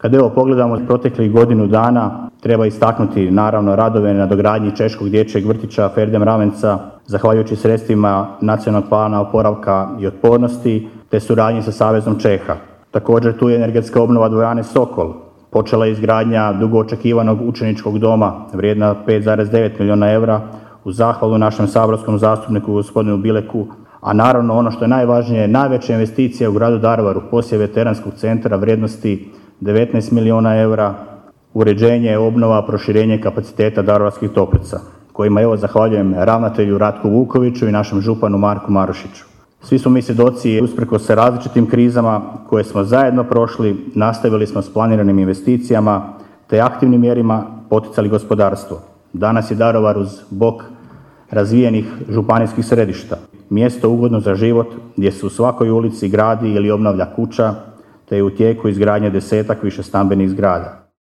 Kad pogledamo proteklih godinu dana, treba istaknuti naravno radove na dogradnji Češkog dječjeg vrtića Ferde Mravenca, zahvaljujući sredstvima Nacionalnog plana oporavka i otpornosti, te suradnji sa Savezom Čeha. Također tu je energetska obnova dvorane Sokol. Počela je izgradnja dugo očekivanog učeničkog doma vrijedna 5,9 milijuna eura u zahvalu našem saborskom zastupniku gospodinu Bileku. A naravno ono što je najvažnije, najveća investicija u gradu Daruvaru, posjed veteranskog centra vrijednosti 19 milijuna eura, uređenje, obnova, proširenje kapaciteta Daruvarskih toplica, kojima zahvaljujem ravnatelju Ratku Vukoviću i našem županu Marku Marušiću. Svi smo mi svjedoci, usprkos se različitim krizama koje smo zajedno prošli, nastavili smo s planiranim investicijama te aktivnim mjerima poticali gospodarstvo. Danas je Daruvar uz bok razvijenih županijskih središta mjesto ugodno za život gdje se u svakoj ulici gradi ili obnavlja kuća te je u tijeku izgradnje 10-ak višestambenih zgrada.